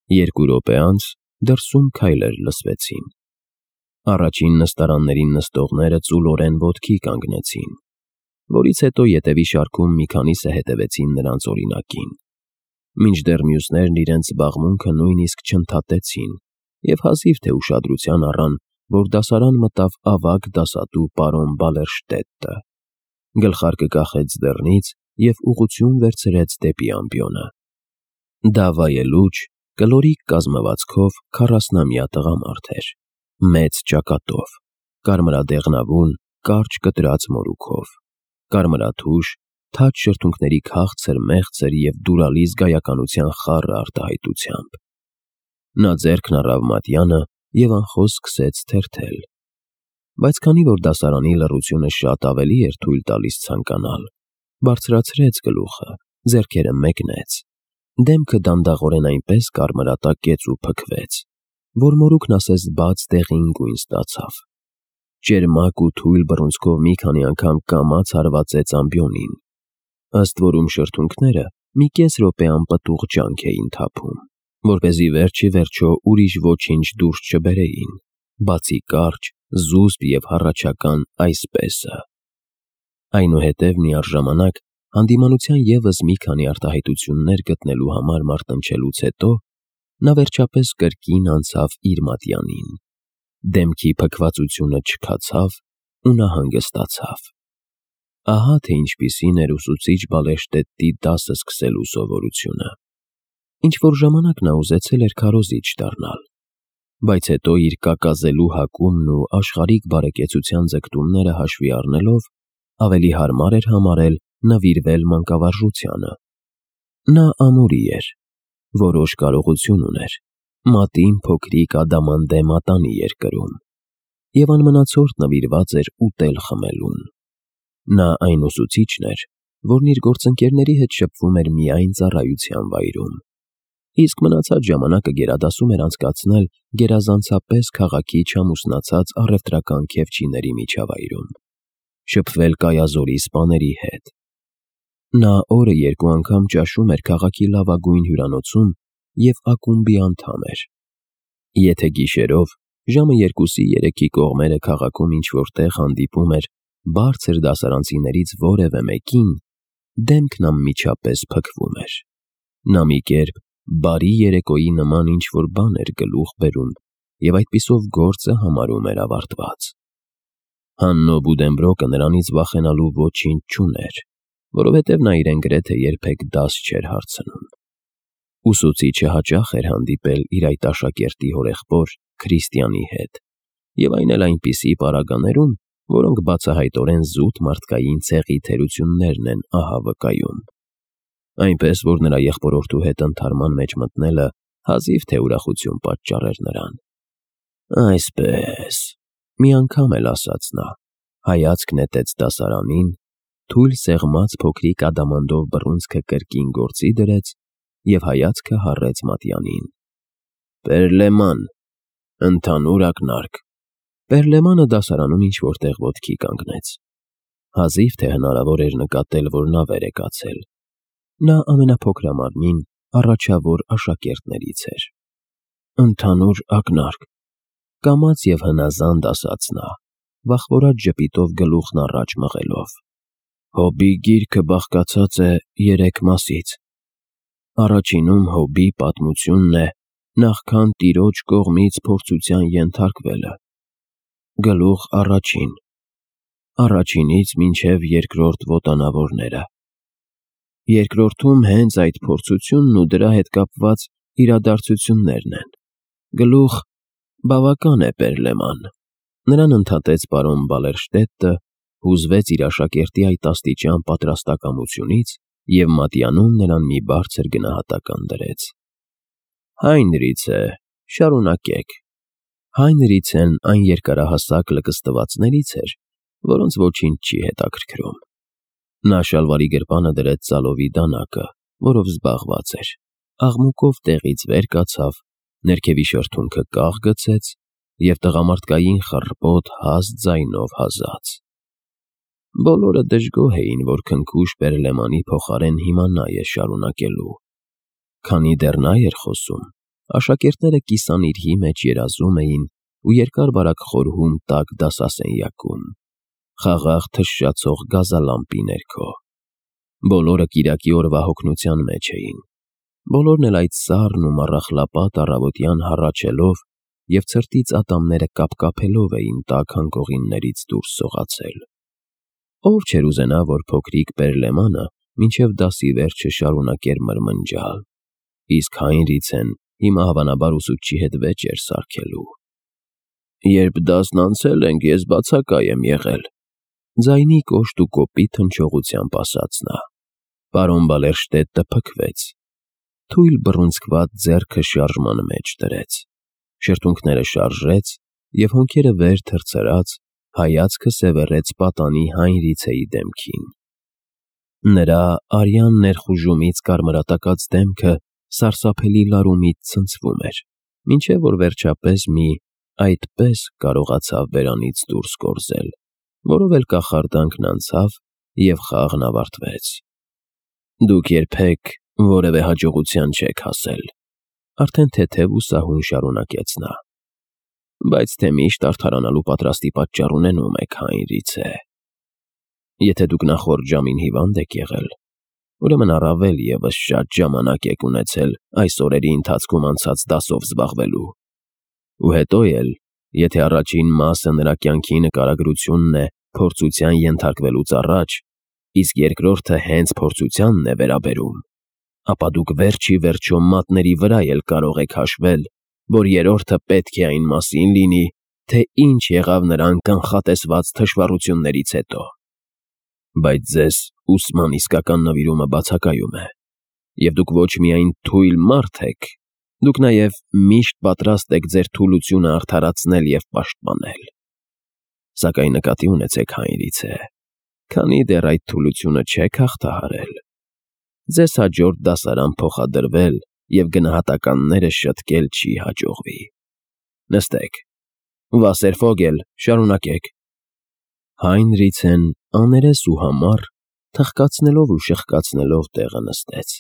2 րոպե անց դրսում քայլեր լսվեցին։ Առաջին նստարաններին նստողները ծուլորեն ոտքի կանգնեցին, որից հետո ետևի շարքում մի քանիսը հետևեցին նրանց օրինակին, մինչդեռ մյուսներն իրենց զբաղմունքը նույնիսկ չընդհատեցին և հազիվ թե ուշադրության առան, որ դասարան մտավ ավագ դասատու պարոն Բալերշտետտը, գլխարկը կախեց դռնից և ուղղություն վերցրեց դեպի ամբիոնը։ Դա վայելուչ, կլորիկ կազմվածքով 40-ամյա տղամարդ էր, մեծ ճակատով, կարմրադեղնավուն, կարճ կտրած մորուքով, կարմրաթուշ, թաց շրթունքների քաղցր մեղցր և դուրալի զգայականության խառը արտահայտությամբ։ Նա ձեռքն առավ մատյանը և անխոս սկսեց թերթել, բայց քանի որ դասարանի լռությունը շատ ավելի էր թույլ տալիս ցանկանալ, բարձրացրեց գլուխը, ձեռքերը մեկնեց, դեմքը դանդաղորեն այնպես կարմրատակեց ու փքվեց, որ մորուքն ասես բաց դեղին գույն ստացավ։ Ճերմակ ու թույլ բռունցքով մի քանի անգամ կամաց հարվածեց ամբիոնին, ըստ որում շրթունքները մի կես րոպե անպտուղ ջանք էին թափում, որպեսզի վերջ ի վերջո ուրիշ ոչինչ դուրս չբերեին, բացի կարճ, զուսպ և հառաչական «այսպես»-ը։ Այնուհետև միառժամանակ հանդիմանության ևս մի քանի արտահայտություններ գտնելու համար մարտնչելուց հետո նա վերջապես կրկին անցավ իր մատյանին, դեմքի փքվածությունը չքացավ ու նա հանգստացավ։ Ահա թե ինչպիսին էր ուսուցիչ Բալերշտետտի դասը սկսելու սովորությունը։ Ինչ-որ ժամանակ նա ուզեցել էր քարոզիչ դառնալ, բայց հետո իր կակազելու հակումն ու աշխարհիկ բարեկեցության ձգտումները հաշվի առնելով ավելի հարմար էր համարել նվիրվել մանկավարժությանը։ Նա ամուրի էր, որոշ կարողություն ուներ, մատին փոքրիկ ադամանդե մատանի էր կրում և անմնացորդ նվիրված էր ուտել-խմելուն։ Նա այն ուսուցիչն էր, որն իր գործընկերների հետ շփվում էր միայն ծառայության վայրում, իսկ մնացած ժամանակը գերադասում էր անցկացնել գերազանցապես քաղաքի չամուսնացած առևտրական քեֆչիների միջավայրում, շփվել կայազորի սպաների հետ։ Նա օրը 2 անգամ ճաշում էր քաղաքի լավագույն հյուրանոցում և ակումբի անդամ էր։ Եթե գիշերով ժամը 2-3-ի կողմերը քաղաքում ինչ-որ տեղ հանդիպում էր բարձր դասարանցիներից որևէ մեկին, դեմքն անմիջապես փքվում էր։ Նա մի կերպ բարի երեկոյի նման ինչ-որ բան էր գլուխ բերում և այդպիսով գործը համարում էր ավարտված։ Հաննո Բուդենբրոկը նրանից վախենալու ոչինչ չուներ, որովհետև նա իրեն գրեթե երբեք դաս չէր հարցնում։ Ուսուցիչը հաճախ էր հանդիպել իր այդ աշակերտի հորեղբոր Քրիստիանի հետ, և այն էլ այնպիսի պարագաներում, որոնք բացահայտորեն զուտ մարդկային ցեղի թերություններն են ահա վկայում։ Այնպես որ նրա եղբորորդու հետ ընդհարման մեջ մտնելը հազիվ թե ուրախություն պատճառեր նրան։ «Այսպես», մի անգամ էլ ասաց նա, հայացք նետեց դասարանին, թույլ սեղմած փոքրիկ ադամանդով բռունցքը կրկին գործի դրեց և հայացքը հառեց մատյանին։ «Պերլեման, ընդհանուր ակնարկ»։ Պերլեմանը դասարանում ինչ-որ տեղ ոտքի կանգնեց։ Հազիվ թե հնարավոր էր նկատել, որ նա վեր է կացել։ Նա ամենափոքրամարմին, առաջավոր աշակերտներից էր։ «Ընդհանուր ակնարկ», կամաց և հնազանդ ասաց նա, վախվորած ժպիտով գլուխն առաջ մղելով։ «Հոբի գիրքը բաղկացած է 3 մասից։ Առաջինում Հոբի պատմությունն է նախքան տիրոջ կողմից փորձության ենթարկվելը։ Գլուխ առաջին, առաջինից մինչև 2-րդ ոտանավորները։ Երկրորդում հենց այդ փորձությունն ու դրա հետ կապված իրադարձություններն են։ Գլուխ բավական է, Պերլեման»։ Նրան ընդհատեց պարոն Բալերշտետտը, հուզվեց իր աշակերտի այդ աստիճան պատրաստակամությունից և մատյանում նրան մի բարձր գնահատական դրեց։ «Հայնրիցե, շարունակեք»։ Հայնրիցեն այն երկարահասակ լկստվածներից էր, որոնց ոչինչ չի հետաքրքրում։ Նա շալվարի գրպանը դրեց ծալովի դանակը, որով զբաղված էր, աղմուկով տեղից վեր կացավ, ներքևի շրթունքը կաղ գցեց և տղամարդկային խռպոտ հաստ ձայնով հազաց։ Բոլորը դժգոհ էին, որ քնքուշ Պերլեմանի փոխարեն հիմա նա էր շարունակելու։ Քանի դեռ նա էր խոսում, Աշակերտները կիսանիրհի մեջ երազում էին ու երկար-բարակ խորհում տաք դասասենյակում, խաղաղ թշշացող գազալամպի ներքո։ Բոլորը կիրակի օրվա հոգնության մեջ էին։ Բոլորն էլ այդ սառն ու մառախլապատ առավոտյան հառաչելով և ցրտից ատամները կապկապելով էին տաք հանգողիններից դուրս սողացել։ Ով չէր ուզենա, որ փոքրիկ Պերլեմանը մինչև դասի վերջը շարունակեր մրմնջալ, իսկ Հայնրիցեն հիմա հավանաբար ուսուցչի հետ վեճ էր սարքելու։ «Երբ դասն անցել ենք, ես բացակայ եմ եղել», ձայնի կոշտ ու կոպիտ հնչողությամբ ասաց նա։ Պարոն Բալերշտետը փքվեց, թույլ բռունցքված ձեռքը շարժման մեջ դրեց, շրթունքները շարժեց և հոնքերը վեր թռցրած հայացքը սևեռեց պատանի Հայնրիցեի դեմքին։ Նրա արյան ներխուժումից կարմրատակած դեմքը սարսափելի լարումից ցնցվում էր, մինչև որ վերջապես մի «այդպես» կարողացավ բերանից դուրս կորզել, որով էլ կախարդանքն անցավ և խաղն ավարտվեց։ «Դուք երբեք որևէ հաջողության չեք հասել», արդեն թեթև ու սահուն շարունակեց նա, «բայց թե միշտ արդարանալու պատրաստի պատճառ ունենում եք, Հայնրիցե։ Եթե դուք նախորդ ժամին հիվանդ եք եղել, ուրեմն առավել ևս շատ ժամանակ եք ունեցել այս օրերի ընթացքում անցած դասով զբաղվելու։ Ու հետո էլ, եթե առաջին մասը նրա կյանքի նկարագրությունն է փորձության ենթարկվելուց առաջ, իսկ երկրորդը հենց փորձությանն է վերաբերում, ապա դուք վերջ ի վերջո մատների վրա էլ կարող եք հաշվել, որ երրորդը պետք է այն մասին լինի, թե ինչ եղավ նրան կանխատեսված թշվառություններից հետո։ Բայց ձեզ ուսման իսկական նվիրումը բացակայում է, և դուք ոչ միայն թույլ մարդ եք, դուք նաև միշտ պատրաստ եք ձեր թուլությունը արդարացնել և պաշտպանել։ Սակայն նկատի ունեցեք, Հայնրիցե, քանի դեռ այդ թուլությունը չեք հաղթահարել, ձեզ հաջորդ դասարան փոխադրվել և գնահատականները շտկել չի հաջողվի։ Նստեք, Վասերֆոգել, շարունակեք։ Հայնրիցեն աներես ու համառ, թխկացնելով ու շխկացնելով տեղը նստեց։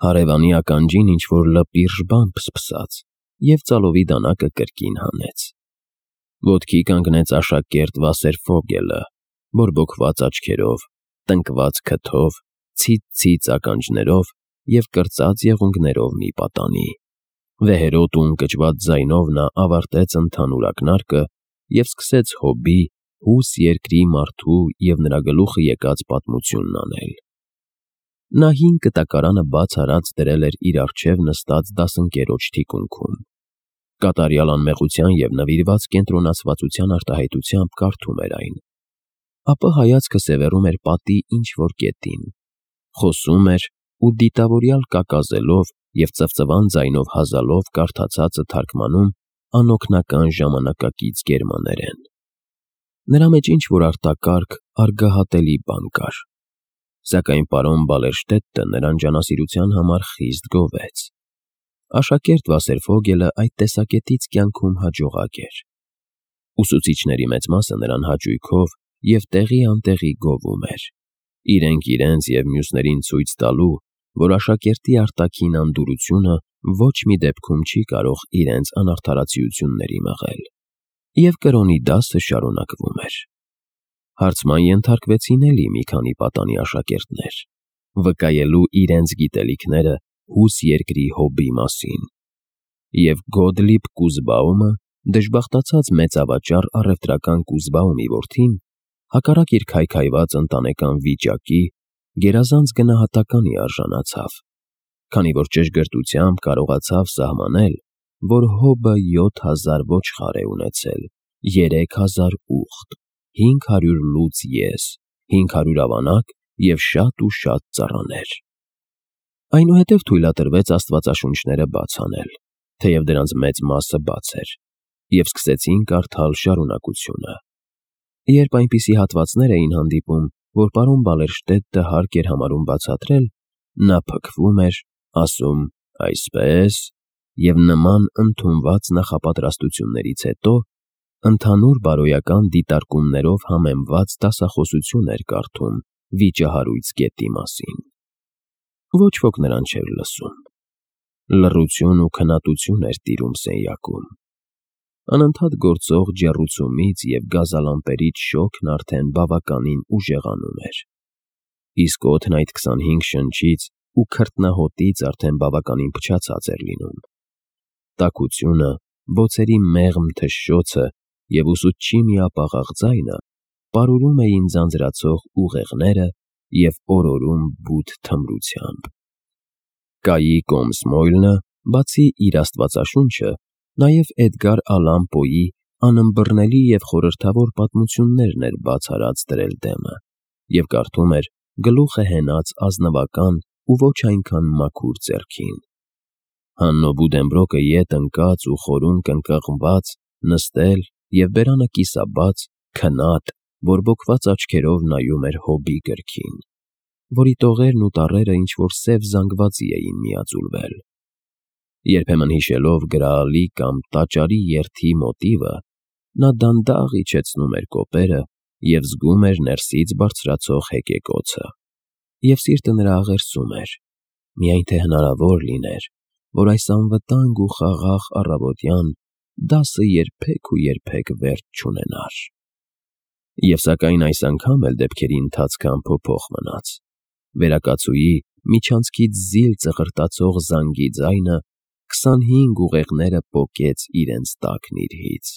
Հարևանի ականջին ինչ-որ լպիրժ բան փսփսաց և ծալովի դանակը կրկին հանեց։ Ոտքի կանգնեց աշակերտ Վասերֆոգելը, բորբոքված աչքերով, տնկված քթով, ցից-ցից ականջներով և կրծած եղունգներով մի պատանի։ Վեհերոտ ու ընկճված ձայնով նա ավարտեց ընդհանուր ակնարկը և սկսեց Հոբի, հուս երկրի մարդու և նրա գլուխը եկած պատմությունն անել։ Նա հին կտակարանը բաց արած դրել էր իր առջև նստած դասընկերոջ թիկունքում։ Կատարյալ անմեղության և նվիրված կենտրոնացվածության արտահայտությամբ կարդում էր այն, ապա հայացքը սևեռում էր պատի ինչ-որ կետին, խոսում էր ու դիտավորյալ կակազելով և ծվծվան ձայնով հազալով կարդացածը թարգմանում անօգնական ժամանակակից գերմաներեն։ Նրա մեջ ինչ-որ արտակարգ, արգահատելի բան կար, սակայն պարոն Բալերշտետը նրան ջանասիրության համար խիստ գովեց։ Աշակերտ Վասերֆոգելը այդ տեսակետից կյանքում հաջողակ էր։ Ուսուցիչների մեծ մասը նրան հաճույքով և տեղի անտեղի գովում էր, իրենք իրենց և մյուսներին ցույց տալու, որ աշակերտի արտաքին անդուրությունը ոչ մի դեպքում չի կարող իրենց անարդարացիությունների մղել։ Եվ կրոնի դասը շարունակվում էր։ Հարցման ենթարկվեցին էլի մի քանի պատանի աշակերտներ, վկայելու իրենց գիտելիքները հուս երկրի Հոբի մասին, և Գոդլիբ Կուզբաումը, դժբախտացած մեծավաճառ առևտրական Կուզբաումի որդին, հակառակ իր քայքայված ընտանեկան վիճակի, գերազանց գնահատականի արժանացավ, քանի որ ճշգրտությամբ կարողացավ սահմանել, որ Հոբը 7000 ոչխար է ունեցել, 3000 ուղտ, 500 լուծ եզ, 500 ավանակ և շատ ու շատ ծառաներ։ Այնուհետև թույլատրվեց աստվածաշունչները բաց անել, թեև դրանց մեծ մասը բաց էր, և սկսեցին կարդալ շարունակությունը։ Երբ այնպիսի հատվածներ էին հանդիպում, որ պարոն Բալերշտետը հարկ էր համարում բացատրել, նա փքվում էր, ասում «այսպես» և նման ընդունված նախապատրաստություններից հետո ընդհանուր բարոյական դիտարկումներով համեմված դասախոսություն էր կարդում վիճահարույց գետի մասին։ Ոչ ոք նրան չէր լսում։ Լռություն ու քննադություն էր տիրում սենյակում։ Անընդհատ գործող ջեռուցումից և գազալամպերից շոգն արդեն բավականին ուժեղանում էր։ Իսկ օդն այդ 25 շնչից ու քրտնահոտից արդեն բավականին փչացած էր լինում։ Տաքությունը, բոցերի մեղմ թշշոցը և ուսուցչի միապաղաղ ձայնը պարուրում էին ձանձրացող ուղեղները և օրորում բութ թմրությամբ։ Կայի Կոմսմոյլը, բացի իր աստվածաշունչը, նաև Էդգար Ալան Պոյի անըմբռնելի և խորհրդավոր պատմություններն էր բաց արած դրել դեմը և կարդում էր գլուխը հենած ազնվական ու ոչ այնքան մաքուր ձեռքին։ Հաննո Բուդենբրոկը ետ ընկած ու խորուն կնկղմված, նստել և բերանը կիսաբաց, քնած, բորբոքված աչքերով նայում էր Հոբի գրքին, որի տողերն ու տառերը ինչ-որ սև զանգվածի էին միաձուլվել։ Երբեմն հիշելով գրաալի կամ տաճարի երթի մոտիվը, նա դանդաղ իջեցնում էր կոպերը և զգում էր ներսից բարձրացող հեկեկոցը։ Եվ սիրտը նրա աղերսում էր, միայն թե հնարավոր լիներ, որ այս անվտանգ ու խաղաղ առավոտյան դասը երբեք վերջ չունենար։ Եվ սակայն այս անգամ էլ դեպքերի ընթացքը անփոփոխ մնաց։ Վերակացուի միջանցքից զիլ ծղրտացող զանգի ձայնը 25 ուղեղները պոկեց իրենց տակն իրհից։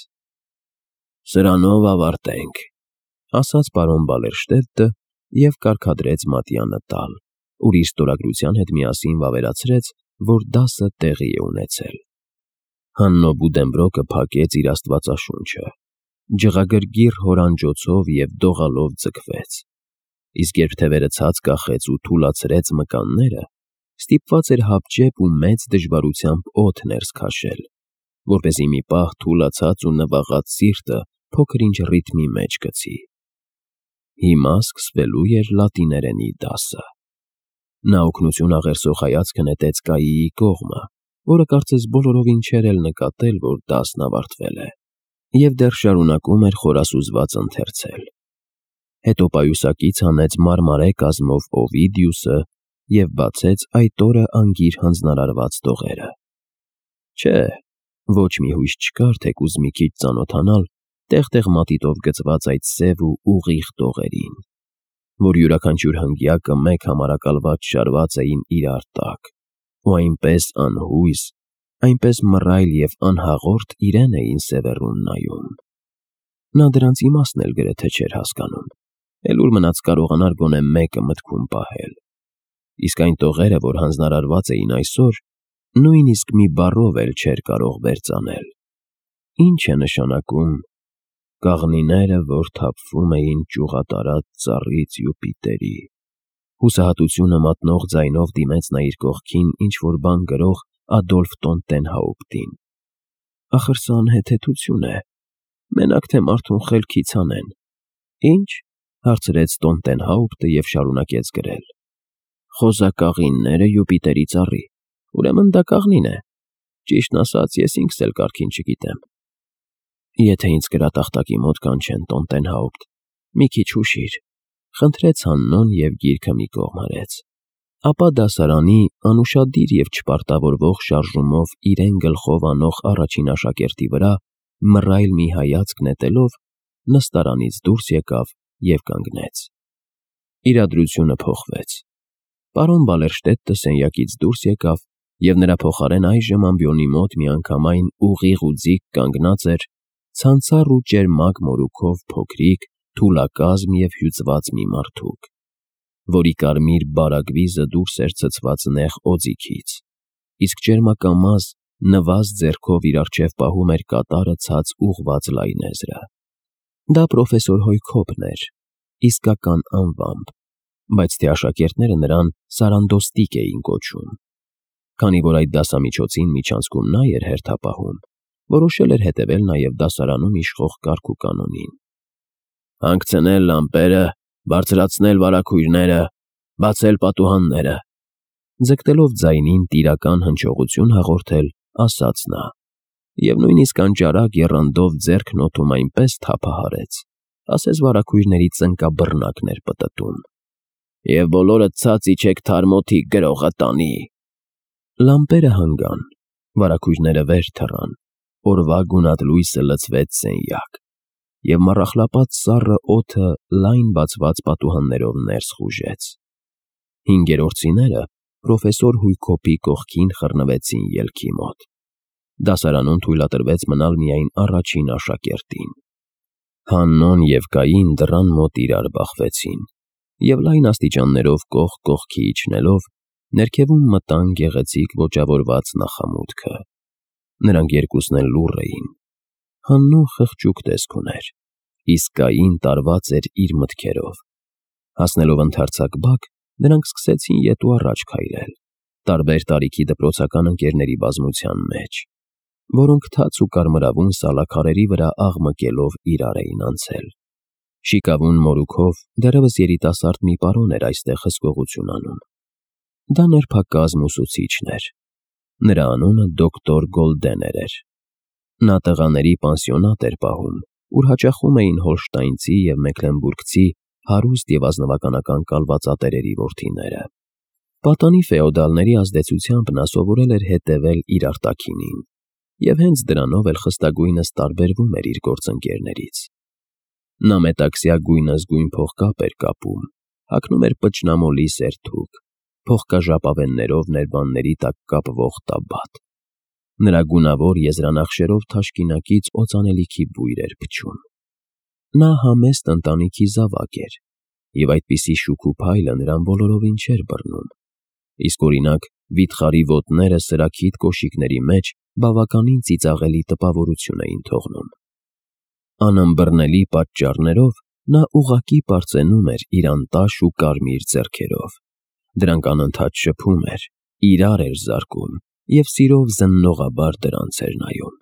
«Սրանով ավարտենք», ասաց պարոն Բալերշտեդտը և կարգադրեց մատյանը տալ, ուր իր ստորագրության հետ միասին վավերացրեց, որ դասը տեղի է ունեցել։ Հաննո Բուդենբրոկը փակեց իր աստվածաշունչը, ջղագրգիռ հորանջոցով և դողալով ձգվեց, իսկ երբ թևերը ցած կախեց ու թուլացրեց մկանները, ստիպված էր հապճեպ ու մեծ դժվարությամբ օդ ներս քաշել, որպեսզի մի պահ թուլացած ու նվաղած սիրտը փոքր-ինչ ռիթմի մեջ գցի։ Հիմա սկսվելու էր լատիներենի դասը։ Նա օգնություն աղերսող հայացքը նետեց Կայիի կողմը, որը կարծես բոլորովին չէր էլ նկատել, որ դասն ավարտվել է, և դեռ շարունակում էր խորասուզված ընթերցել։ Հետո պայուսակից հանեց մարմարե կազմով Օվիդիուսը և բացեց այդ օրը անգիր հանձնարարված տողերը։ Չէ, ոչ մի հույս չկար թեկուզ մի քիչ ծանոթանալ տեղ-տեղ մատիտով գծված այդ սև ու ուղիղ տողերին, որ յուրաքանչյուր հնգյակը մեկ համարակալված շարված էին իրար տակ, ու այնպես անհույս, այնպես մռայլ և անհաղորդ իրեն էին սևեռուն նայում։ Նա դրանց իմաստն էլ գրեթե չէր հասկանում, էլ ուր մնաց կարողանար գոնե մեկը մտքում պահել։ Իսկ այն տողերը, որ հանձնարարված էին այսօր, նույնիսկ մի բառով էլ չէր կարող վերծանել։ Ինչ է նշանակում «կաղնիները, որ թափվում էին ճյուղատարած ծառից Յուպիտերի»։ Հուսահատությունը մատնող ձայնով դիմեց նա իր կողքին ինչ-որ բան գրող Ադոլֆ Տոնտենհաուպտին։ Ախր սա անհեթեթություն է, մենակ թե մարդուն խելքից հանեն։ Ինչ, հարցրեց Տոնտենհաուպտը և շարունակեց գրել. «Խոզակաղինները Յուպիտերի ծառի, ուրեմն դա կաղնին է։ Ճիշտն ասած, ես ինքս էլ կարգին չգիտեմ։ Եթե ինձ գրատախտակի մոտ կանչեն, Տոնտենհաուպտ, մի քիչ հուշիր», խնդրեց Հաննոն և գիրքը մի կողմ արեց։ Ապա դասարանի անուշադիր և չպարտավորվող շարժումով իրեն գլխով անող առաջին աշակերտի վրա մռայլ մի հայացք նետելով նստարանից դուրս եկավ և կանգնեց։ Իրադրությունը փոխվեց։ Պարոն Բալերշտեդտը սենյակից դուրս եկավ և նրա փոխարեն այժմ ամբիոնի մոտ միանգամայն ուղիղ ու ձիգ կանգնած էր ցանցառ ու ճերմակ մորուքով փոքրիկ, թուլակազմ և հյուծված մի մարդուկ, որի կարմիր բարագվիզը դուրս էր ցցված նեղ օձիքից, իսկ ճերմակամազ, նվազ ձեռքով իր առջև պահում էր կատարը ցած ուղղված լայնեզրը։ Դա պրոֆեսոր Հոյքոբն էր, իսկական անվամբ, բայց թե աշակերտները նրան Սարանդոստիկ էին կոչում։ Քանի որ այդ դասամիջոցին միջանցքում նա էր հերթապահում, որոշել էր հետևել նաև դասարանում իշխող կարգ ու կանոնին։ «Հանգցնել լամպերը, բարձրացնել վարագույրները, բացել պատուհանները», ձգտելով ձայնին տիրական հնչողություն հաղորդել, ասաց նա, և նույնիսկ անճարակ եռանդով ձեռքն օդում այնպես թափահարեց, ասես վարագույրների ծնկաբռնակն էր պտտում։ «Եվ բոլորդ ցած իջեք թարմոթի գրողը տանի»։ Լամպերը հանգան, վարագույրները վեր թռան, օրվա գունատ լույսը լցվեց սենյակ, և մառախլապատ սառը օդը լայն բացված պատուհաններով ներս խուժեց։ Հինգերորդցիները պրոֆեսոր Հույքոպի կողքին խռնվեցին ելքի մոտ։ Դասարանում թույլատրվեց մնալ միայն առաջին աշակերտին։ Հաննոն և Կային դռան մոտ իրար բախվեցին, և լայն աստիճաններով կողք կողքի իջնելով, ներքևում մտան գեղեցիկ ոճավորված նախամուտքը։ Նրանք երկուսն էլ լուռ էին։ Հաննոն խղճուկ տեսք ուներ, իսկ Կային տարված էր իր մտքերով։ Հասնելով ընդարձակ բակ, նրանք սկսեցին ետ ու առաջ քայլել, տարբեր տարիքի դպրոցական ընկերների բազմության մեջ, որոնք թաց ու կարմրավուն սալաքարերի վրա աղմկելով իրար էին անցել։ Շիկավուն մորուքով դեռևս երիտասարդ մի պարոն էր այստեղ հսկողություն անում։ Դա նրբակազմ ուսուցիչն էր։ Նրա անունը դոկտոր Գոլդեներ էր։ Նա տղաների պանսիոնատ էր պահում, ուր հաճախում էին հոլշտայնցի և մեքլենբուրգցի հարուստ և ազնվականական կալվածատերերի որդիները։ Պատանի ֆեոդալների ազդեցությամբ նա սովորել էր հետևել իր արտաքինին, և հենց դրանով էլ խստագույնս տարբերվում էր իր գործընկերներից։ Նա մետաքսյա գույնզգույն փողկապ էր կապում, հագնում էր պճնամոլի սերթուկ, փողկաժապավեններով ներբանների տակ կապվող տաբատ։ Նրա գունավոր եզրանախշերով թաշկինակից օծանելիքի բույր էր փչում։ Նա համեստ ընտանիքի զավակ էր, և այդպիսի շուք ու փայլը նրան բոլորովին չէր բռնում, իսկ օրինակ վիթխարի ոտները սրաքիթ կոշիկների մեջ բավականին ծիծաղելի տպավորություն էին թողնում։ Անըմբռնելի պատճառներով նա ուղղակի պարծենում էր իր անտաշ ու կարմիր ձեռքերով։ Դրանք անընդհատ շփում էր, իրար էր զարկում և սիրով զննողաբար դրանց էր նայում։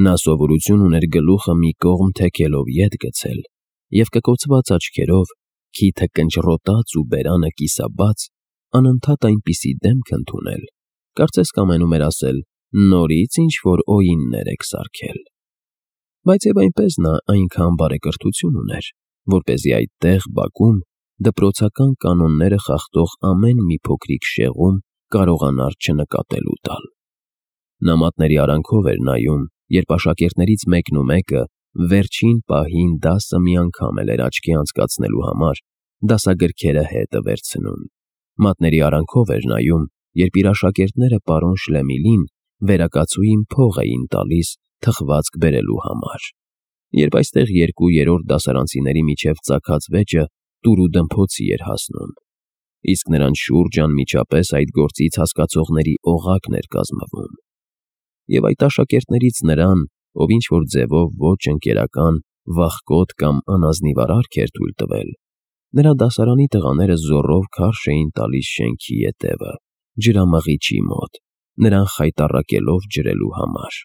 Նա սովորություն ուներ գլուխը մի կողմ թեքելով ետ գցել և կկոցված աչքերով, քիթը կնճռոտած ու բերանը կիսաբաց, անընդհատ այնպիսի դեմք ընդունել, կարծես կամենում էր ասել. «Նորից ինչ-որ օիններ եք սարքել»։ Բայց և այնպես նա այնքան բարեկրթություն ուներ, որպեսզի այդտեղ բակում դպրոցական կանոնները խախտող ամեն մի փոքրիկ շեղում կարողանար չնկատելու տալ։ Նա մատների արանքով էր նայում, երբ աշակերտներից մեկն ու մեկը վերջին պահին դասը մի անգամ էլ էր աչքի անցկացնելու համար դասագրքերը հետը վերցնում։ Մատների արանքով էր նայում, երբ իր աշակերտները պարոն Շլեմիլին վերակացուին փող էին տալիս թխվածք բերելու համար, երբ այստեղ երկու երրորդ դասարանցիների միջև ծագած վեճը տուր ու դմփոցի էր հասնում, իսկ նրանց շուրջ անմիջապես այդ գործից հասկացողների օղակն էր կազմվում։ Եվ այդ աշակերտներից նրան, ով ինչ-որ ձևով ոչ ընկերական, վախկոտ կամ անազնիվ արարք էր թույլ տվել, նրա դասարանի տղաները զոռով քարշ էին տալիս շենքի ետևը, ջրամաղիչի մոտ, նրան խայտառակելով ջրելու համար։